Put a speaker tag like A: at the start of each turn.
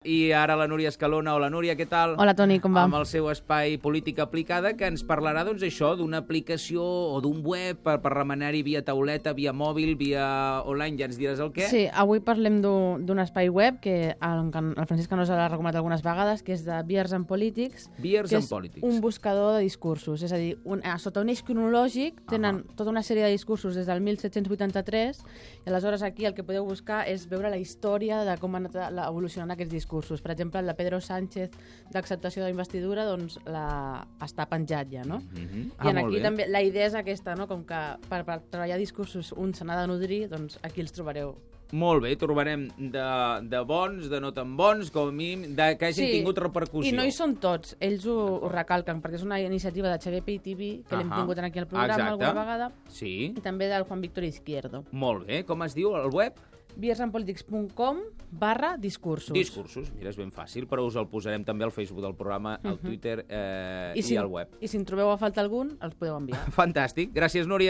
A: I ara la Núria Escalona. Hola, Núria, què tal?
B: Hola, Toni, com va?
A: Amb el seu espai Política Aplicada, que ens parlarà, doncs, això, d'una aplicació o d'un web per remenar-hi via tauleta, via mòbil, via online, ja ens diràs el què.
B: Sí, avui parlem d'un espai web que el Francesc Canosa l'ha recomanat algunes vegades, que és de Beers and Politics.
A: Beers and Politics.
B: Que és un buscador de discursos. És a dir, sota un eix cronològic tenen tota una sèrie de discursos des del 1783 i aleshores aquí el que podeu buscar és veure la història de com han anat evolucionant aquests discursos. Per exemple, el de Pedro Sánchez d'acceptació de la investidura doncs, està penjat ja, no? I aquí també la idea és aquesta, no? Com que per treballar discursos un se n'ha de nodrir, doncs aquí els trobareu.
A: Molt bé, trobarem de bons, de no tan bons, com a mínim, que hagin tingut repercussió.
B: I no hi són tots, ells ho recalquen, perquè és una iniciativa de Xavier Pi-TV, que l'hem tingut aquí al programa alguna vegada, i també del Juan Víctor Izquierdo.
A: Molt bé, com es diu el web?
B: beersandpolitics.com/discursos.
A: Discursos, mira, és ben fàcil, però us el posarem també al Facebook del programa, al Twitter i al web.
B: I si en trobeu a falta algun, els podeu enviar.
A: Fantàstic, gràcies, Núria.